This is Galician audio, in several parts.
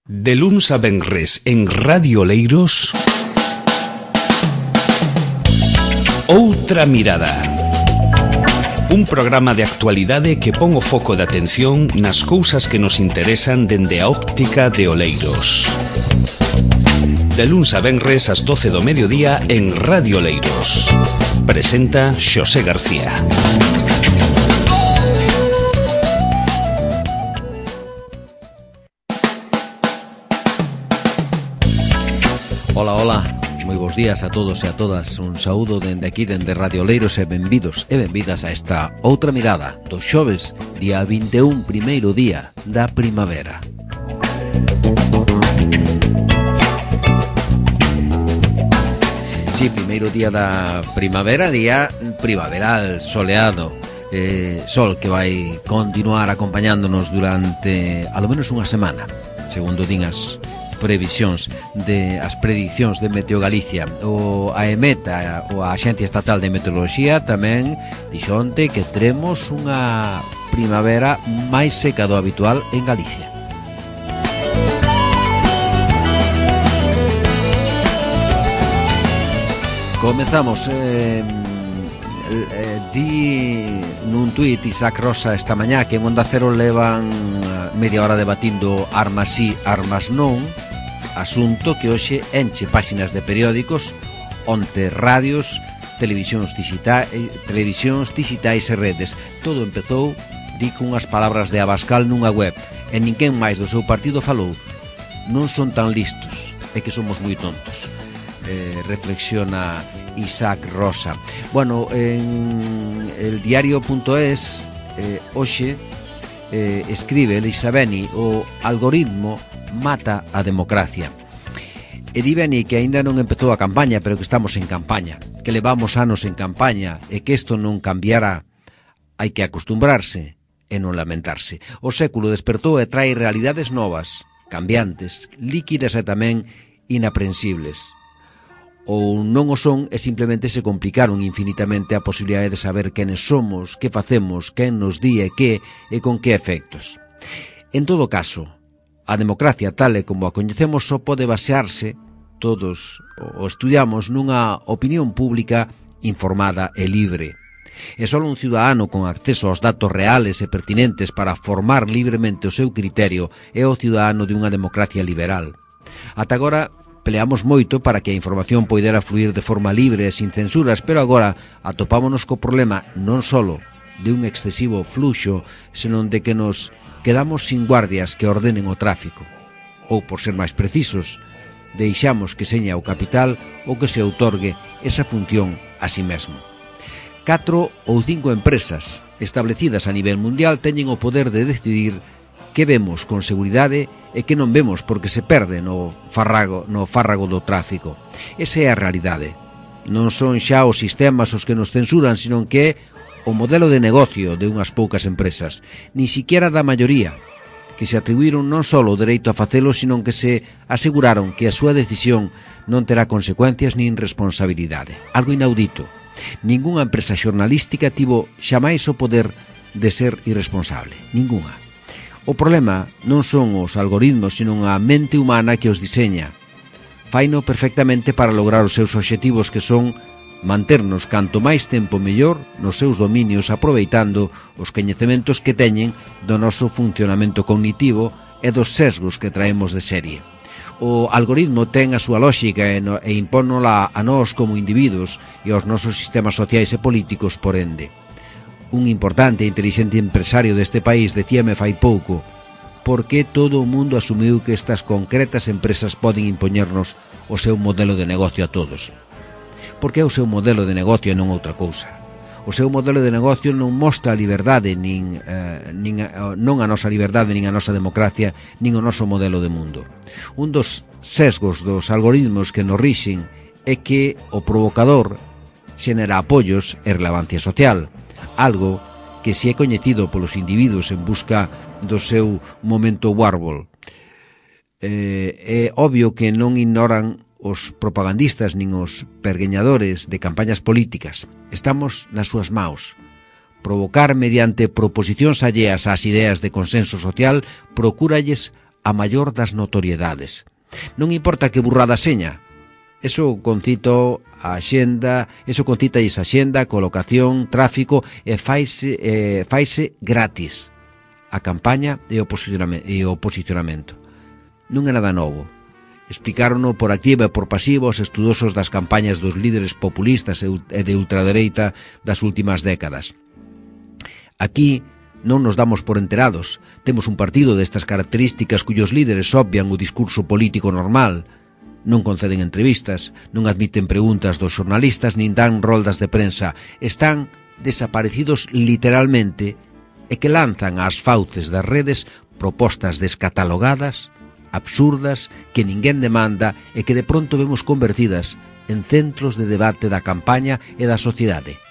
De luns a venres en Radio Oleiros, Outra Mirada. Un programa de actualidade que pon o foco de atención nas cousas que nos interesan dende a óptica de Oleiros. De luns a venres ás 12 do mediodía en Radio Oleiros. Presenta Xosé García. Ola, ola, moi bons días a todos e a todas. Un saúdo dende aquí, dende Radio Oleiros, e benvidos e benvidas a esta Outra Mirada dos xoves, día 21, primeiro día da primavera. Sí, primeiro día da primavera, día primaveral, soleado, sol que vai continuar acompañándonos durante alo menos unha semana, segundo din as previsións as prediccións de Meteo Galicia. O AEMET, ou a Axencia Estatal de Meteoroloxía, tamén dixo onte que teremos unha primavera máis seca do habitual en Galicia. Comezamos di nun tuit Isaac Rosa esta mañá que en Onda Cero levan media hora debatindo armas sí, armas non, asunto que hoxe enche páxinas de periódicos, onte radios, televisións digitais e redes. Todo empezou, di, cunhas palabras de Abascal nunha web, e ninguén máis do seu partido falou. Non son tan listos, é que somos moi tontos, reflexiona Isaac Rosa. Bueno, en el diario.es hoxe escribe Elisa Beni: o algoritmo mata a democracia. E di Beni que aínda non empezou a campaña, pero que estamos en campaña, que levamos anos en campaña e que isto non cambiará. Hai que acostumbrarse e non lamentarse. O século despertou e trae realidades novas, cambiantes, líquidas e tamén inaprensibles. Ou non o son e simplemente se complicaron infinitamente a posibilidade de saber quenes somos, que facemos, quen nos di e que e con que efectos. En todo caso, a democracia tal e como a coñecemos só pode basearse, todos o estudiamos, nunha opinión pública informada e libre. E só un ciudadano con acceso aos datos reales e pertinentes para formar libremente o seu criterio é o ciudadano de unha democracia liberal. Ata agora peleamos moito para que a información poidera fluir de forma libre e sin censuras, pero agora atopámonos co problema non solo de un excesivo fluxo, senón de que nos quedamos sin guardias que ordenen o tráfico. Ou, por ser máis precisos, deixamos que seña o capital ou que se outorgue esa función a si mesmo. 4 ou 5 empresas establecidas a nivel mundial teñen o poder de decidir que vemos con seguridade e que non vemos porque se perde no fárrago do tráfico. Esa é a realidade. Non son xa os sistemas os que nos censuran, senón que é o modelo de negocio de unhas poucas empresas, ni siquiera da maioría, que se atribuíron non só o dereito a facelo, senón que se aseguraron que a súa decisión non terá consecuencias nin responsabilidade. Algo inaudito. Ningunha empresa xornalística tivo xamais o poder de ser irresponsable. Ningunha. O problema non son os algoritmos, senón a mente humana que os diseña. Faino perfectamente para lograr os seus obxectivos, que son manternos canto máis tempo mellor nos seus dominios, aproveitando os coñecementos que teñen do noso funcionamento cognitivo e dos sesgos que traemos de serie. O algoritmo ten a súa lógica e impónola a nós como individuos e aos nosos sistemas sociais e políticos, por ende. Un importante e inteligente empresario deste país decíame fai pouco: por que todo o mundo asumiu que estas concretas empresas poden impoñernos o seu modelo de negocio a todos? Porque é o seu modelo de negocio e non outra cousa. O seu modelo de negocio non mostra a liberdade, non a nosa liberdade, nin a nosa democracia, nin o noso modelo de mundo. Un dos sesgos dos algoritmos que nos rixen é que o provocador xenera apoios e relevancia social, algo que se é coñecido polos individuos en busca do seu momento Warhol. É obvio que non ignoran os propagandistas nin os pergueñadores de campañas políticas. Estamos nas súas maus. Provocar mediante proposicións alleas ás ideas de consenso social procúralles a maior das notoriedades. Non importa que burrada seña, eso concita a xenda, colocación, tráfico, e faise gratis a campaña e o posicionamento. Non é nada novo. Explicárono por activa e por pasiva os estudosos das campañas dos líderes populistas e de ultradereita das últimas décadas. Aquí non nos damos por enterados. Temos un partido destas características cuyos líderes obvian o discurso político normal, non conceden entrevistas, non admiten preguntas dos xornalistas nin dan roldas de prensa. Están desaparecidos literalmente e que lanzan ás fauces das redes propostas descatalogadas, absurdas, que ninguén demanda e que de pronto vemos convertidas en centros de debate da campaña e da sociedade.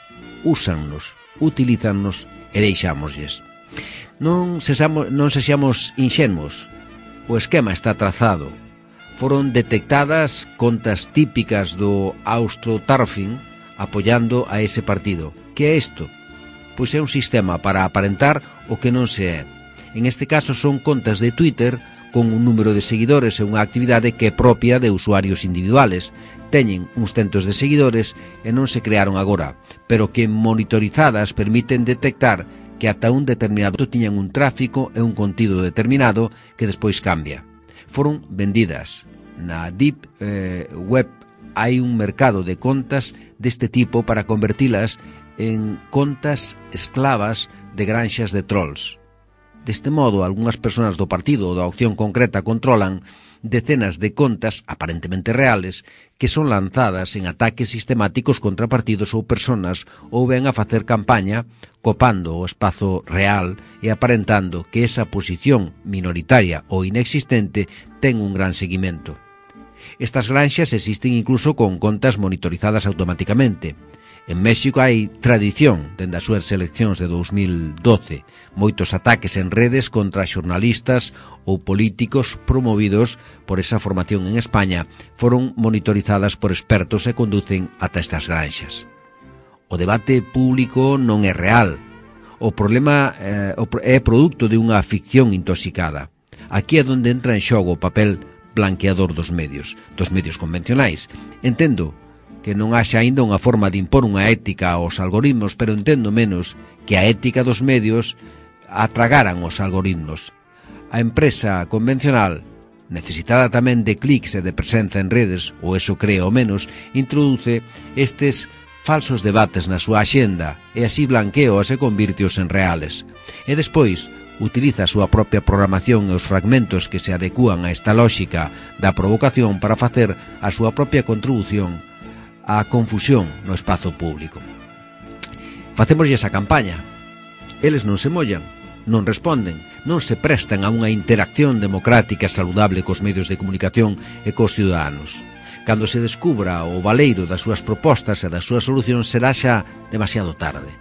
Úsannos, utilízannos e deixámoslles. Non sexamos inxenuos. O esquema está trazado. Foron detectadas contas típicas do AustroTurfing apoiando a ese partido. Que é isto? Pois é un sistema para aparentar o que non se é. En este caso son contas de Twitter con un número de seguidores e unha actividade que é propia de usuarios individuales. Teñen uns centos de seguidores e non se crearon agora, pero que monitorizadas permiten detectar que ata un determinado tiñan un tráfico e un contido determinado que despois cambia. Foron vendidas. Na Deep Web hai un mercado de contas deste tipo para convertilas en contas esclavas de granxas de trolls. Deste modo, algunhas persoas do partido ou da opción concreta controlan decenas de contas aparentemente reales que son lanzadas en ataques sistemáticos contra partidos ou personas ou ben a facer campaña copando o espazo real e aparentando que esa posición minoritaria ou inexistente ten un gran seguimento. Estas granxas existen incluso con contas monitorizadas automáticamente. En México hai tradición dende as súas eleccións de 2012, moitos ataques en redes contra xornalistas ou políticos promovidos por esa formación en España foron monitorizadas por expertos e conducen ata estas granxas. O debate público non é real. O problema é produto de unha ficción intoxicada. Aquí é onde entra en xogo o papel blanqueador dos medios convencionais. Entendo que non haxa aínda unha forma de impor unha ética aos algoritmos, pero entendo menos que a ética dos medios atragaran os algoritmos. A empresa convencional, necesitada tamén de clics e de presenza en redes, ou eso cree ao menos, introduce estes falsos debates na súa axenda e así blanqueoas e convírteos en reales. E despois utiliza a súa propia programación e os fragmentos que se adecúan a esta lógica da provocación para facer a súa propia contribución a confusión no espazo público. Facémoslle esa campaña. Eles non se mollan, non responden, non se prestan a unha interacción democrática e saludable cos medios de comunicación e cos ciudadanos. Cando se descubra o valeiro das súas propostas e das súas solucións será xa demasiado tarde.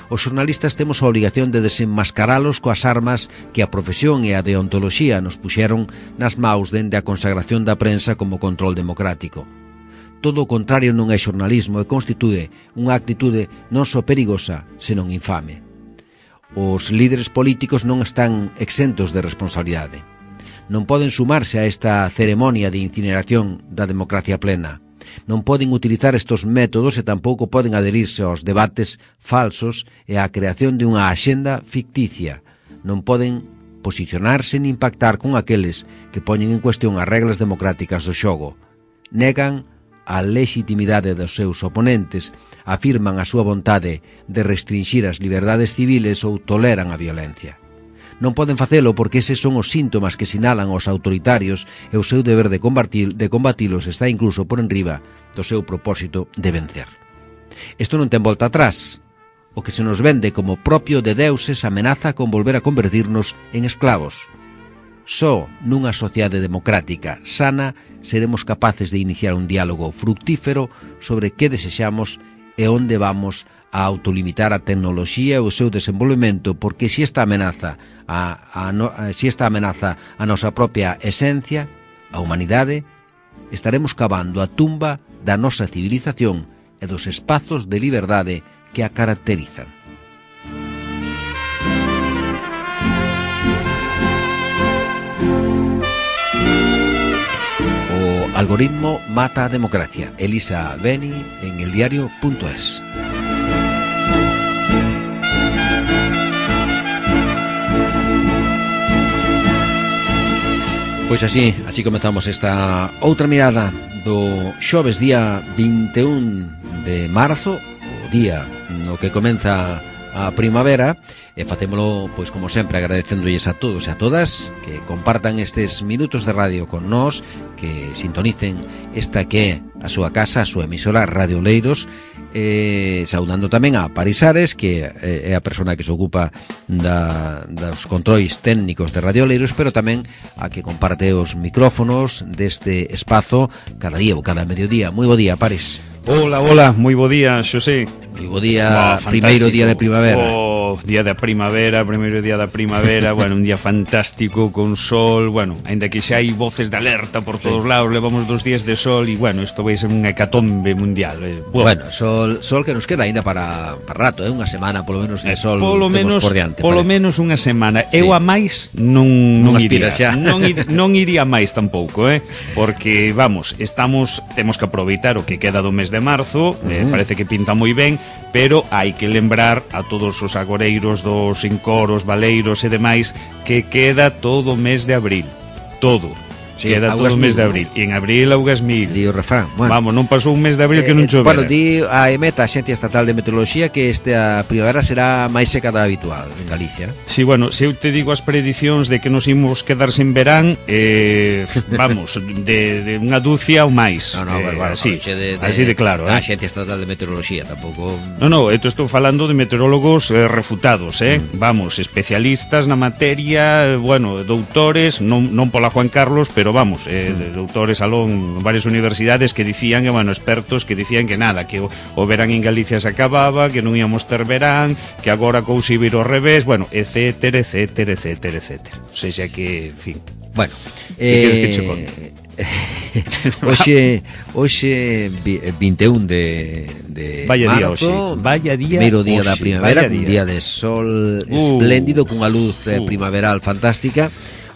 Os xornalistas temos a obrigación de desenmascaralos coas armas que a profesión e a deontoloxía nos puxeron nas maus dende a consagración da prensa como control democrático. Todo o contrario non é xornalismo e constitúe unha actitude non só perigosa, senón infame. Os líderes políticos non están exentos de responsabilidade. Non poden sumarse a esta ceremonia de incineración da democracia plena. Non poden utilizar estes métodos e tampouco poden adherirse aos debates falsos e á creación de unha axenda ficticia. Non poden posicionarse nin pactar con aqueles que poñen en cuestión as reglas democráticas do xogo. Negan a legitimidade dos seus oponentes, afirman a súa vontade de restringir as liberdades civiles ou toleran a violencia. Non poden facelo porque eses son os síntomas que sinalan os autoritarios e o seu deber de combatilos está incluso por enriba do seu propósito de vencer. Isto non ten volta atrás. O que se nos vende como propio de deuses amenaza con volver a convertirnos en esclavos. Só nunha sociedade democrática sana seremos capaces de iniciar un diálogo fructífero sobre que desexamos e onde vamos a autolimitar a tecnoloxía e o seu desenvolvemento, porque se esta amenaza a nosa propia esencia, a humanidade, estaremos cavando a tumba da nosa civilización e dos espazos de liberdade que a caracterizan. Algoritmo mata a democracia. Elisa Beni en eldiario.es. Pois así comezamos esta outra mirada do xoves día 21 de marzo, o día no que comeza a primavera, e facémolo, pois como sempre, agradecéndolles a todos e a todas que compartan estes minutos de radio con nós, que sintonicen esta que é a súa casa, a súa emisora Radio Oleiros, saudando tamén a Parisares, que é a persona que se ocupa dos controis técnicos de Radio Oleiros, pero tamén a que comparte os micrófonos deste espazo cada día ou cada mediodía. Moi bo día, Paris. Hola, moi bo día, Xosé. Moi bo día, primeiro día de primavera. Día da primavera, primeiro día da primavera, bueno, un día fantástico con sol, bueno, aínda que xa hai voces de alerta por todos lados, levamos 2 días de sol e, bueno, isto vai ser unha hecatombe mundial. Bueno, sol que nos queda aínda para rato, unha semana polo menos de sol polo menos por diante. Polo menos unha semana. Eu a máis non iría. Non iría máis tampouco, porque, vamos, temos que aproveitar o que queda do mes de marzo, parece que pinta moi ben, pero hai que lembrar a todos os agoreiros dos encoros, valeiros e demais que queda todo o mes de abril. Todo. Sí, queda todo o mes de abril. E en abril augas mil. Di o refrán. Bueno. Vamos, non pasou un mes de abril que non chovera. Bueno, di a EMET, a Axencia Estatal de Meteoroloxía, que esta primavera será máis seca da habitual en Galicia. Sí, bueno, se eu te digo as predicións de que nos imos quedar sen verán, vamos, de unha dúcia ou máis. No, bueno, así de claro. A Axencia Estatal de Meteoroloxía tampouco. No, eu estou falando de meteorólogos refutados, vamos, especialistas na materia, bueno, doutores, non pola Juan Carlos, pero vamos, doutores alón en varias universidades que dicían que, bueno, expertos que dicían que nada, que o verán en Galicia se acababa, que non íamos ter verán, que agora cousa iba ao revés, bueno, etcétera. O sea que, en fin. Bueno, que queres que che conte? Hoxe 21 de marzo, vaya día, primeiro día da primavera, un día de sol espléndido, cunha luz primaveral fantástica.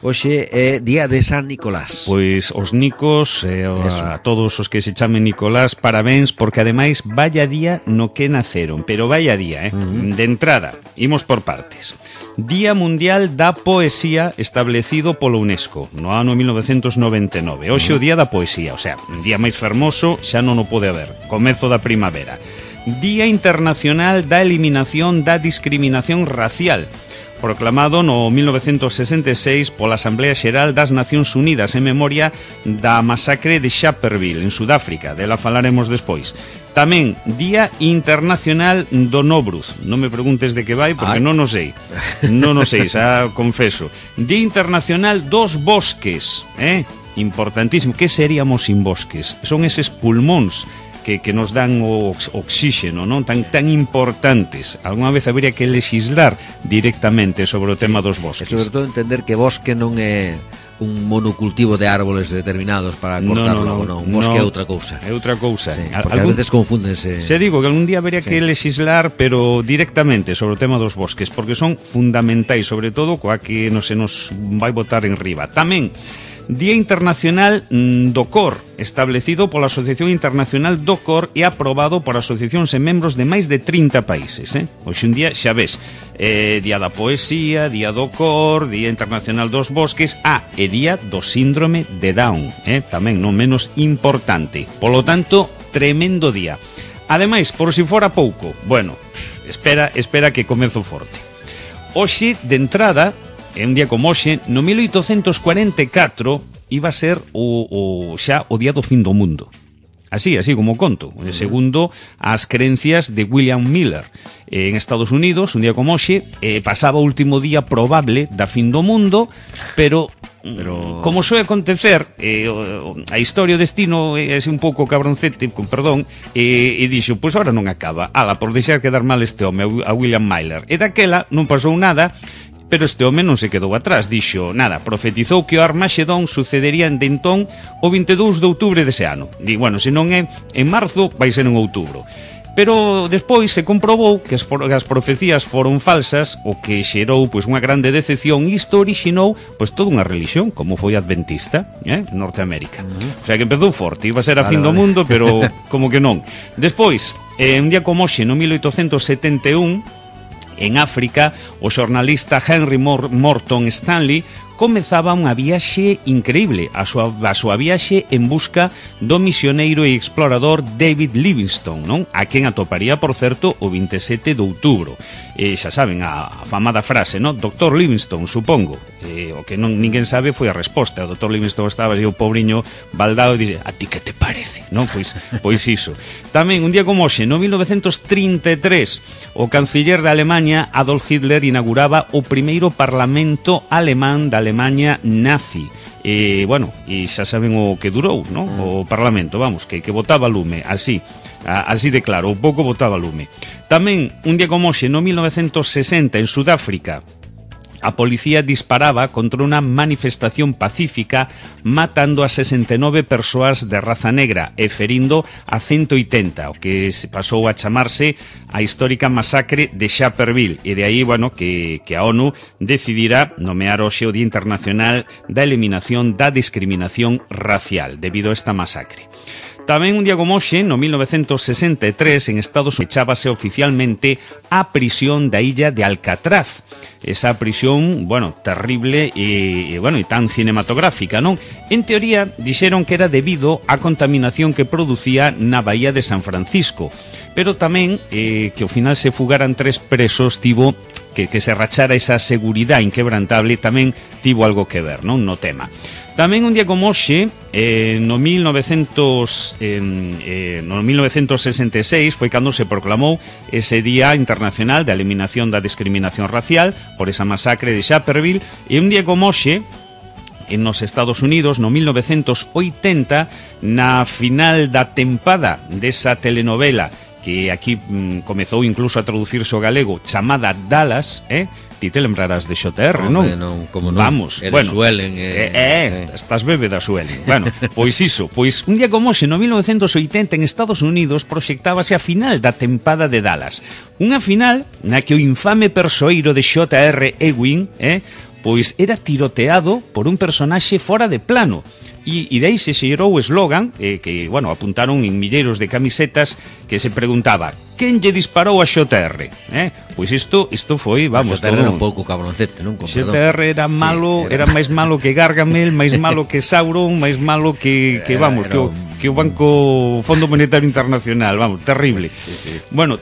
Hoxe é día de San Nicolás. Pois os nicos, a todos os que se chamen Nicolás, parabéns, porque ademais vaya día no que naceron. Pero vaya día, De entrada, imos por partes. Día Mundial da Poesía establecido polo UNESCO no ano 1999. Hoxe o día da poesía, o sea, un día máis fermoso xa non o pode haber. Comezo da primavera. Día Internacional da Eliminación da Discriminación Racial, proclamado no 1966 pola Asamblea Xeral das Nacións Unidas en memoria da masacre de Sharpeville, en Sudáfrica. Dela falaremos despois. Tamén Día Internacional do Nobruz. Non me preguntes de que vai, porque non o sei. Non o sei, xa confeso. Día Internacional dos Bosques, importantísimo. Que seríamos sin bosques? Son eses pulmóns que nos dan o oxígeno, non tan importantes. Alguna vez habría que legislar directamente sobre o tema dos bosques. E sobre todo entender que bosque non é un monocultivo de árboles determinados para cortarlo, non. Un bosque é outra cousa. É outra cousa. Sí, porque a veces confúndense. Se digo que algún día habría que legislar, pero directamente sobre o tema dos bosques, porque son fundamentais, sobre todo coa que non se nos vai botar en riba. Tamén Día Internacional do COR, establecido pola Asociación Internacional do COR e aprobado por asociacións e membros de máis de 30 países. Hoxe un día, xa ves, Día da Poesía, Día do COR, Día Internacional dos Bosques, e Día do Síndrome de Down, tamén non menos importante. Polo tanto, tremendo día. Ademais, por si fora pouco, bueno, espera que comezo forte. Hoxe, de entrada, é un día como hoxe, no 1844 iba a ser xa o día do fin do mundo. Así como conto, segundo as creencias de William Miller. En Estados Unidos, un día como hoxe, pasaba o último día probable da fin do mundo, pero como soe acontecer, a historia o destino é un pouco cabroncete, con perdón, e dixo, pois agora non acaba, por deixar quedar mal este home, a William Miller. E daquela non pasou nada, pero este home non se quedou atrás, dixo, profetizou que o Armagedón sucedería de entón o 22 de outubro dese ano. Di, bueno, se non é en marzo, vai ser en outubro. Pero despois se comprobou que as profecías foron falsas, o que xerou pois unha grande decepción, e isto orixinou pois toda unha religión, como foi adventista, en Norteamérica. O sea que empezou forte, iba a ser a fin do mundo, pero como que non. Despois, un día como hoxe, no 1871, en África, o xornalista Henry Morton Stanley comezaba unha viaxe increíble, a súa viaxe en busca do misioneiro e explorador David Livingstone, non? A quen atoparía, por certo, o 27 de outubro. E xa saben, a famada frase, non? Dr. Livingstone, supongo. O que non ninguén sabe foi a resposta. O Dr. Livingstone estaba así o pobriño baldado e dixe, a ti que te parece? Non? Pois iso. Tamén, un día como hoxe, no 1933, o canciller de Alemania, Adolf Hitler, inauguraba o primeiro parlamento alemán da Alemania nazi. E xa saben o que durou, non? O parlamento, vamos, que botaba lume, así de claro, o pouco botaba lume. Tamén, un día como hoxe, no 1960, en Sudáfrica, a policía disparaba contra unha manifestación pacífica, matando a 69 persoas de raza negra e ferindo a 180, o que se pasou a chamarse a histórica masacre de Sharpeville, e de aí, que a ONU decidirá nomear hoxe o Día Internacional da Eliminación da Discriminación Racial debido a esta masacre. Tamén un día como hoxe, no 1963, en Estados Unidos, echábase oficialmente a prisión da illa de Alcatraz. Esa prisión, terrible e tan cinematográfica, non? En teoría, dixeron que era debido á contaminación que producía na Bahía de San Francisco. Pero tamén que ao final se fugaran 3 presos tivo que se rachara esa seguridade inquebrantable, tamén tivo algo que ver, non? No tema. Tamén un día como hoxe, no 1966, foi cando se proclamou ese Día Internacional de Eliminación da Discriminación Racial por esa masacre de Sharpeville, e un día como hoxe, nos Estados Unidos, no 1980, na final da tempada desa telenovela que aquí comezou incluso a traducirse ao galego, chamada Dallas, ti te lembrarás de XR, non? Como non? Vamos, Suelen, estás bebe da Suelen. Pois iso, pois un día como hoxe, no 1980, en Estados Unidos, proxectábase a final da tempada de Dallas. Unha final na que o infame persoeiro de J.R. Ewing, pois era tiroteado por un personaxe fora de plano. E de aí se xerou o eslogan que, apuntaron en milleiros de camisetas que se preguntaba: quen lle disparou a XR? Pois isto foi, vamos, XR era un pouco cabroncete, non? XR era malo, era máis malo que Gargamel, máis malo que Sauron, máis malo que o Banco Fondo Monetario Internacional, vamos, terrible.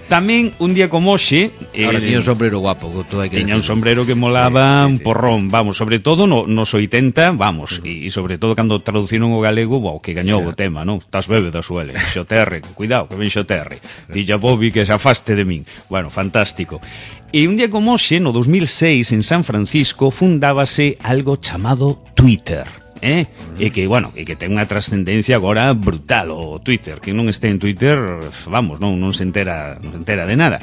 Tamén un día como hoxe, ahora tiña un sombrero guapo, tiña un sombrero que molaba un porrón, vamos, sobre todo nos 80, vamos, e sobre todo cando traduciron o galego, que gañou o tema, non? Estás bebe da Suele, XR, cuidado, que ven XR. Dilla Bobby que se afaste de min. Fantástico. E un día como hoxe, no 2006, en San Francisco, fundábase algo chamado Twitter. E que ten unha trascendencia agora brutal o Twitter. Que non este en Twitter, vamos, non se entera de nada.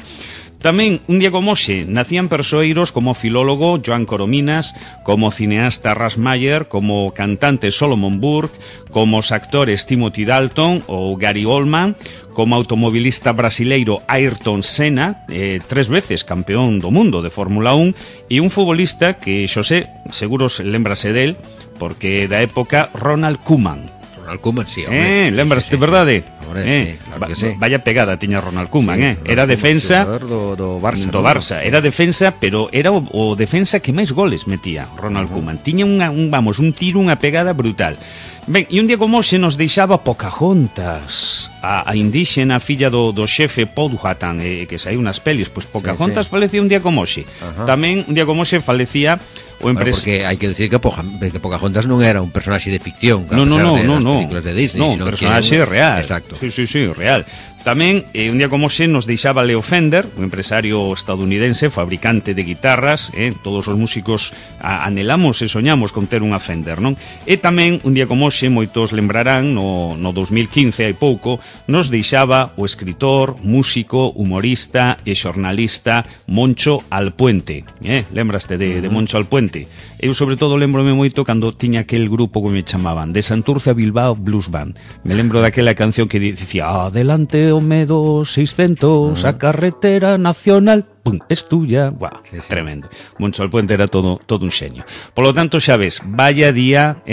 Tamén, un día como hoxe, nacían persoeiros como o filólogo Joan Corominas, como o cineasta Ras Meyer, como o cantante Solomon Burke, como os actores Timothy Dalton ou Gary Oldman, como automobilista brasileiro Ayrton Senna, 3 veces campeón do mundo de Fórmula 1, e un futbolista que, Xosé, seguro lembrase del, porque da época, Ronald Koeman. Ronald Koeman, sí, hombre. Lembraste, verdade? Sí, claro que sí. Vaya pegada tiña Ronald Koeman, Era defensa do Barça. Do Barça, era defensa, pero era o defensa que máis goles metía, Ronald Koeman. Tiña un tiro, unha pegada brutal. Ben, e un día como hoxe nos deixaba Pocahontas, a indíxena filla do xefe Powhatan, que saiu nas pelis, pois Pocahontas falecía un día como hoxe. Tamén un día como hoxe falecía o porque hai que decir que Pocahontas non era un personaxe de ficción, no, películas de Disney, un personaxe real. Exacto. Sí, real. Tamén, un día como hoxe, nos deixaba Leo Fender, un empresario estadounidense, fabricante de guitarras, todos os músicos anhelamos e soñamos con ter unha Fender, non? E tamén, un día como hoxe, moitos lembrarán, no 2015, hai pouco, nos deixaba o escritor, músico, humorista e xornalista Moncho Alpuente. Lembraste de Moncho Alpuente? Adelante. Eu sobre todo lembrome moito cando tiña aquel grupo que me chamaban de Santurce a Bilbao Blues Band. Me lembro daquela canción que dicía adelante o medo 600, a carretera nacional, pum, es tuya. Buah, sí. Tremendo. Moncho Alpuente era todo un xeño. Por lo tanto, xa ves, vaya día,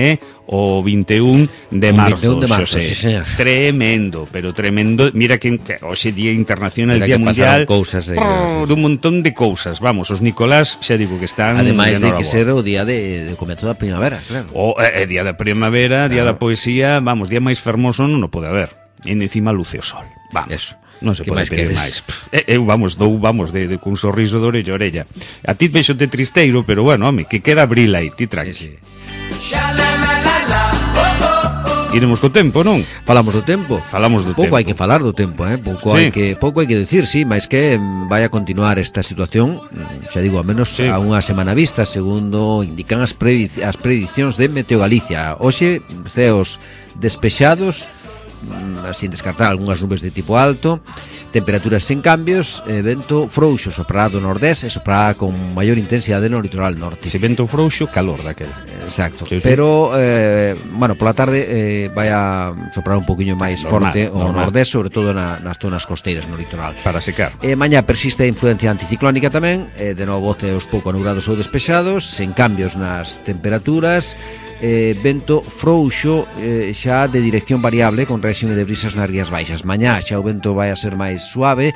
o 21 de marzo, Xosé. Sí, tremendo, pero tremendo. Mira que hoxe día internacional, mira día mundial, cousas un montón de cousas. Vamos, os Nicolás, xa digo que están ademais de que ser o día de comezo da primavera, claro. Día da primavera, día da poesía, vamos, día máis fermoso non o pode haber. E encima luce o sol. Vamos. Eso. Non se pode pedir máis. Eu vamos de cun sorriso de orella a orella. A ti vexote tristeiro, pero bueno, home, que queda abril aí, ti tranqui. Sí. Iremos co tempo, non? Falamos do tempo. Pouco hai que falar do tempo, pouco hai que decir, sí, mas que vai a continuar esta situación, xa digo, a menos a unha semana vista, segundo indican as predicións de Meteo Galicia. Hoxe, ceos despexados, sin descartar algunhas nubes de tipo alto, temperaturas sen cambios, vento frouxo soprará do nordés e soprará con maior intensidade no litoral norte. Se vento frouxo, calor daquel. Exacto, sí. Pero bueno, pola tarde vai a soprar un poquinho máis forte o nordés, sobre todo nas zonas costeiras no litoral. Para secar. Mañá persiste a influencia anticiclónica tamén, de novo ceos pouco anubrados ou despexados, sen cambios nas temperaturas, vento frouxo xa de dirección variable con réxime de brisas nas rías baixas. Mañá xa o vento vai a ser máis suave,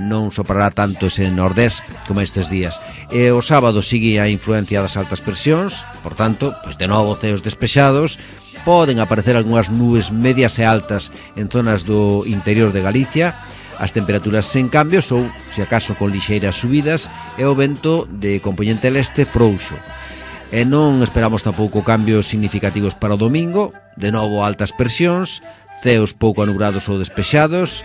non soprará tanto ese nordés como estes días. O sábado sigue a influencia das altas presións, por tanto, pois de novo ceos despexados, poden aparecer algunhas nubes medias e altas en zonas do interior de Galicia, as temperaturas sen cambios ou, se acaso, con lixeiras subidas, e o vento de compoñente leste frouxo. E non esperamos tampouco cambios significativos para o domingo, de novo altas presións, ceos pouco anubrados ou despexados,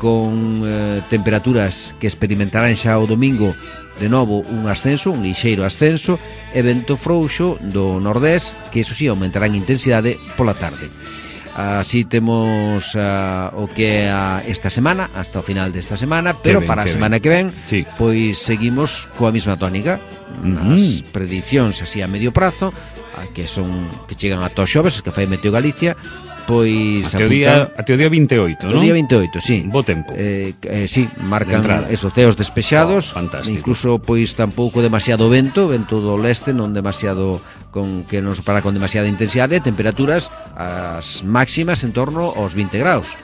con temperaturas que experimentarán xa o domingo, de novo un ascenso, un lixeiro ascenso, e vento frouxo do nordés, que iso si aumentará en intensidade pola tarde. Así temos o que é esta semana, hasta o final desta semana, pero para a semana que ven, pois seguimos coa mesma tónica. As predicións así a medio prazo, que chegan ata os xoves, que fai Meteo Galicia, pois até o día 28, non? O día 28, sí. Bo tempo. Sí, marcan esos ceos despexados, incluso pois tampouco demasiado vento do leste, non demasiado que non sopara con demasiada intensidade, temperaturas as máximas en torno aos 20 graus.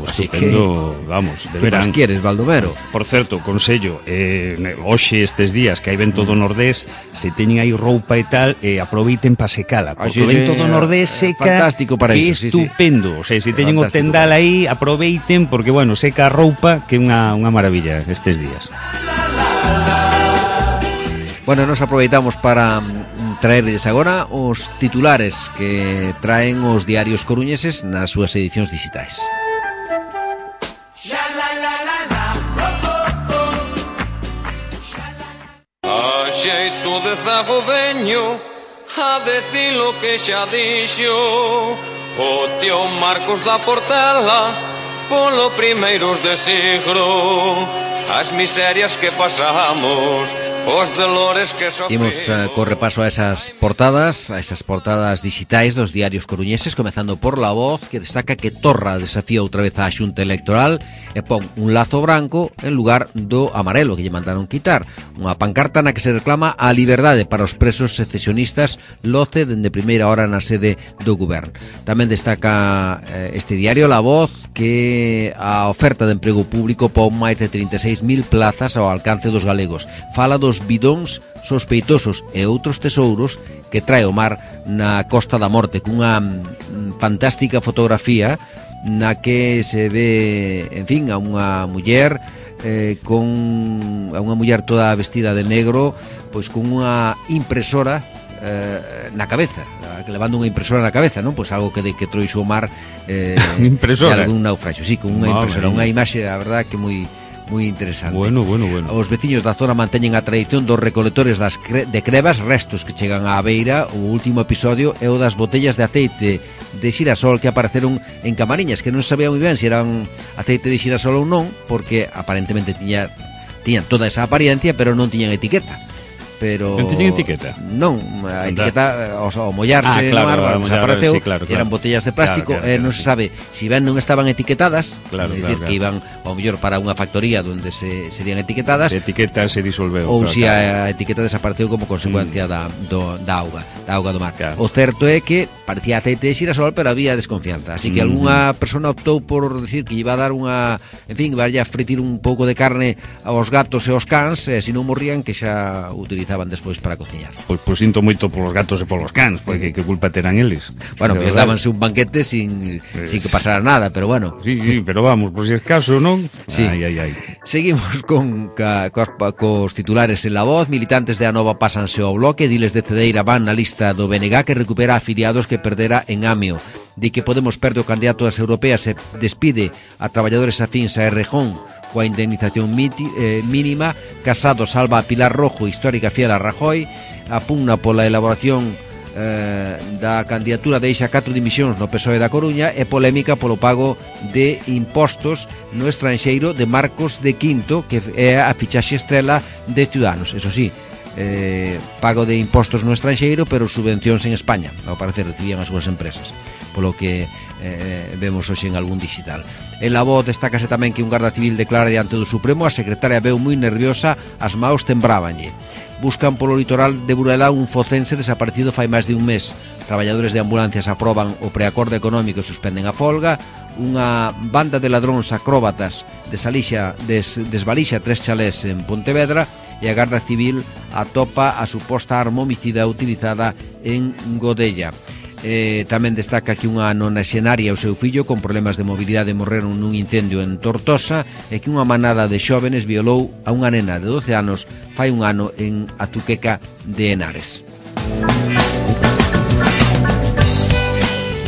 Estupendo, vamos, de verán. Que máis queres, Baldomero? Por certo, consello, hoxe estes días que hai vento do nordés, se teñen aí roupa e tal, aproveiten para secala, porque o vento do nordés seca, fantástico para iso, estupendo. O sea, se teñen o tendal aí, aproveiten, porque, bueno, seca a roupa, que é unha maravilla estes días. Bueno, nos aproveitamos para traerles agora os titulares que traen os diarios coruñeses nas súas edicións digitais. A xeito de zago veño a decir lo que xa dixo o tío Marcos da Portela polo primeiros de siglo, as miserias que pasamos, os dolores que sofrimos. Imos co repaso a esas portadas digitais dos diarios coruñeses, comezando por La Voz, que destaca que Torra desafía outra vez a Xunta Electoral e pon un lazo branco en lugar do amarelo que lle mandaron quitar, unha pancarta na que se reclama a liberdade para os presos secesionistas loce dende primeira hora na sede do goberno. Tamén destaca este diario La Voz que a oferta de emprego público pon máis de 36.000 plazas ao alcance dos galegos. Fala dos bidóns sospeitosos e outros tesouros que trae o mar na Costa da Morte, cunha fantástica fotografía na que se ve, en fin, a unha muller a unha muller toda vestida de negro, pois con unha impresora na cabeza, levando unha impresora na cabeza, non? Pois algo que trouxo o mar impresora de algún naufraxio, sí, con unha impresora, unha imaxe, a verdad, que moi interesante. Bueno. Os veciños da zona manteñen a tradición dos recolectores de crevas, restos que chegan á beira. O último episodio é o das botellas de aceite de xirasol que apareceron en Camariñas, que non sabía moi ben se eran aceite de xirasol ou non, porque aparentemente tiñan toda esa apariencia, pero non tiñan etiqueta. pero non teñen etiqueta? Non, a etiqueta ao mollarse no árbol desapareceu, sí, claro. eran botellas de plástico, non se sabe si ben non estaban etiquetadas, é dicir, que iban ao mellor para unha factoría onde serían etiquetadas, a etiqueta se disolveu, ou si a etiqueta desapareceu como consecuencia da auga do mar. O certo é que parecía aceite de xirasol, pero había desconfianza, así que algunha persona optou por decir que iba a dar unha, en fin, iba a fritir un pouco de carne aos gatos e aos cans, e se non morrían, que xa utilizaban despois para cociñar. Pois sinto moito polos gatos e polos cans, porque que culpa terán eles? Bueno, que dábanse un banquete sin que pasara nada, pero bueno. Sí, pero vamos, por si es caso, non? Sí. Ai. Seguimos cos titulares en La Voz. Militantes de Anova pásanse ao bloque. Diles de Cedeira van na lista do BNG, que recupera afiliados que perdera en Amio. Di que Podemos perde o candidato das europeas e despide a traballadores afíns a Errejón coa indemnización mínima. Casado salva a Pilar Rojo, histórica fiel a Rajoy. A pugna pola elaboración da candidatura deixa 4 dimisións no PSOE da Coruña, e polémica polo pago de impostos no estranxeiro de Marcos de Quinto, que é a fichaxe estrela de Ciudadanos. Eso sí, pago de impostos no estranxeiro, pero subvencións en España, ao parecer recibían as súas empresas, polo que vemos hoxe en algún digital. En La Voz destácase tamén que un garda civil declara diante do Supremo: a secretaria veu moi nerviosa, as maos tembrábanlle. Buscan polo litoral de Burela un focense desaparecido fai máis de un mes. Traballadores de ambulancias aproban o preacordo económico e suspenden a folga. Unha banda de ladróns acróbatas desvalixa 3 chalés en Pontevedra, e a Garda Civil atopa a suposta arma homicida utilizada en Godella. Tamén destaca que unha nonaxenaria e o seu fillo con problemas de mobilidade morreron nun incendio en Tortosa, e que unha manada de xóvenes violou a unha nena de 12 anos fai un ano en Azuqueca de Henares.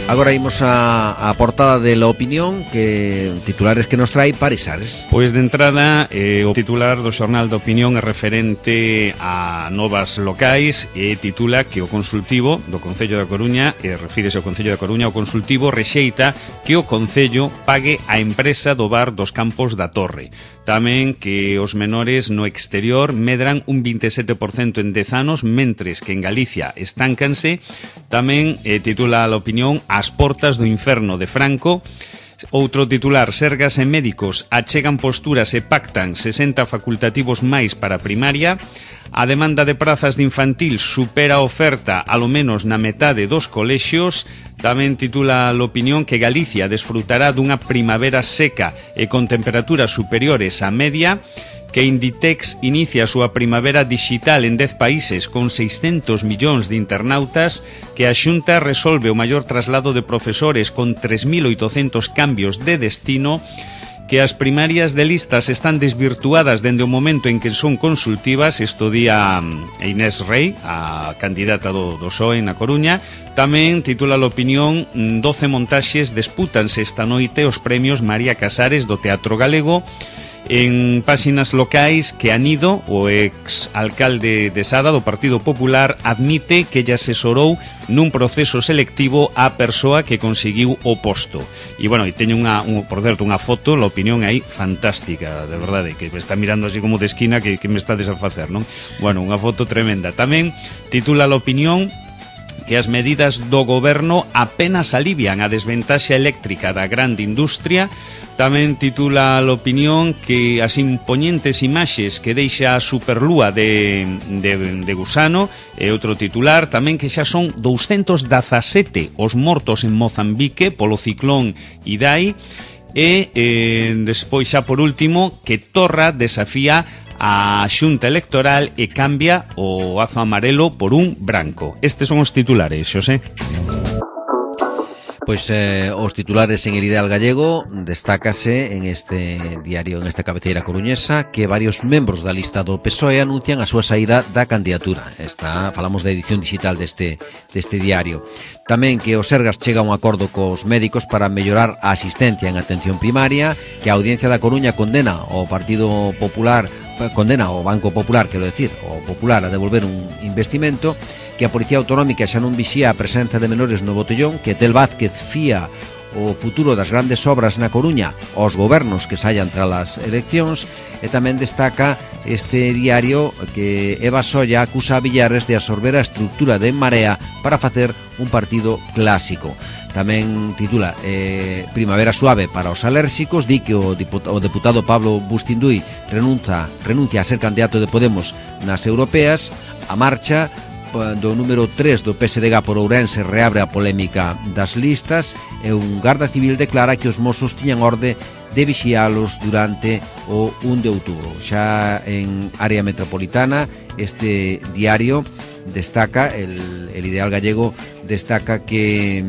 Agora imos a portada de La Opinión, que titulares que nos trae Parisares. Pois de entrada, o titular do xornal da Opinión é referente a novas locais, e titula que o consultivo do Concello da Coruña, refírese ao Concello da Coruña, o consultivo rexeita que o Concello pague a empresa do bar dos Campos da Torre. Tamén que os menores no exterior medran un 27% en 10 anos, mentres que en Galicia estáncanse. Tamén titula a Opinión As portas do inferno de Franco. Outro titular: Sergas e médicos achegan posturas e pactan 60 facultativos máis para primaria. A demanda de prazas de infantil supera a oferta alo menos na metade dos colexios. Tamén titula a Opinión que Galicia desfrutará dunha primavera seca e con temperaturas superiores á media, que Inditex inicia a súa primavera digital en 10 países con 600 millóns de internautas, que a Xunta resolve o maior traslado de profesores con 3.800 cambios de destino, que as primarias de listas están desvirtuadas dende o momento en que son consultivas. Isto di a Inés Rei, a candidata do PSOE na Coruña. Tamén titula a Opinión 12 montaxes dispútanse esta noite os premios María Casares do Teatro Galego. En páxinas locais, que Anido, o ex-alcalde de Sada do Partido Popular, admite que lle asesorou nun proceso selectivo á persoa que conseguiu o posto. E, bueno, teño por certo, unha foto, a Opinión aí fantástica, de verdade, que me está mirando así como de esquina, que me está a facer, non? Bueno, unha foto tremenda. Tamén titula a Opinión que as medidas do goberno apenas alivian a desventaxa eléctrica da grande industria. Tamén titula a Opinión que as impoñentes imaxes que deixa a superlúa de Gusano, e outro titular tamén que xa son 217 os mortos en Mozambique polo ciclón Idai. E despois xa por último que Torra desafía a Xunta Electoral e cambia o azo amarelo por un branco. Estes son os titulares, Xosé. Pois os titulares en El Ideal Gallego destácase en este diario, en esta cabeceira coruñesa, que varios membros da lista do PSOE anuncian a súa saída da candidatura. Falamos da edición digital deste diario. Tamén que o Sergas chega a un acordo cos médicos para mellorar a asistencia en atención primaria, que a Audiencia da Coruña condena ao Partido Popular, condena ao Banco Popular, quero decir, o Popular, a devolver un investimento, que a Policía Autonómica xa non vixía a presenza de menores no botellón, que Tel Vázquez fía o futuro das grandes obras na Coruña aos gobernos que saian tras as eleccións, e tamén destaca este diario que Eva Solla acusa a Villares de absorber a estructura de En Marea para facer un partido clásico. Tamén titula Primavera suave para os alérxicos, di que o deputado Pablo Bustinduy renuncia a ser candidato de Podemos nas europeas. A marcha do número 3 do PSDG por Ourense reabre a polémica das listas, e un garda civil declara que os mozos tiñan orde de vixialos durante o 1 de outubro. Xa en área metropolitana, este diario destaca, el Ideal Gallego destaca que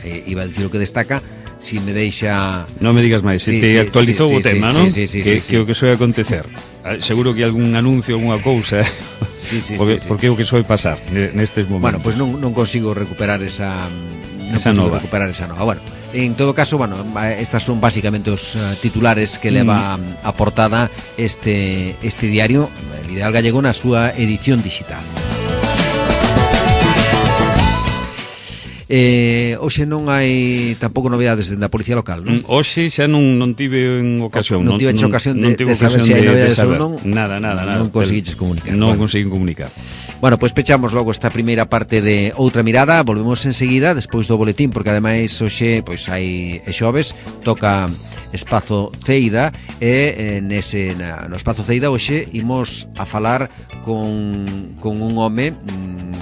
iba a decir o que destaca, si me deixa... Non me digas máis, se te actualizou o tema, non? Sí. Que o que soe acontecer. Seguro que algún anuncio, alguna cousa, porque é o que soe pasar nestes momentos. Bueno, pois non consigo recuperar esa nova. Bueno, en todo caso, estas son basicamente os titulares que leva a portada este diario, el Ideal Gallego, na súa edición digital. Hoxe non hai tampouco novidades dende a Policía Local, non? Hoxe xa non tive ocasión. Non tive ocasión de saber se hai novidades ou non. Nada. Non conseguiches comunicar. Non conseguín comunicar. Bueno, pois pechamos logo esta primeira parte de Outra Mirada. Volvemos enseguida, despois do boletín, porque ademais hoxe pois hai xoves, toca Espazo Ceida, e no Espazo Ceida hoxe imos a falar con un home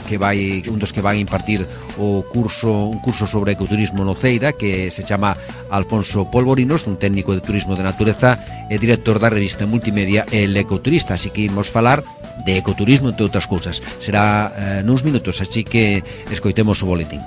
que vai, un dos que vai impartir un curso sobre ecoturismo no Ceida, que se chama Alfonso Polvorinos, un técnico de turismo de natureza e director da revista multimedia El Ecoturista. Así que imos falar de ecoturismo, entre outras cousas. Será nuns minutos, así que escoitemos o boletín.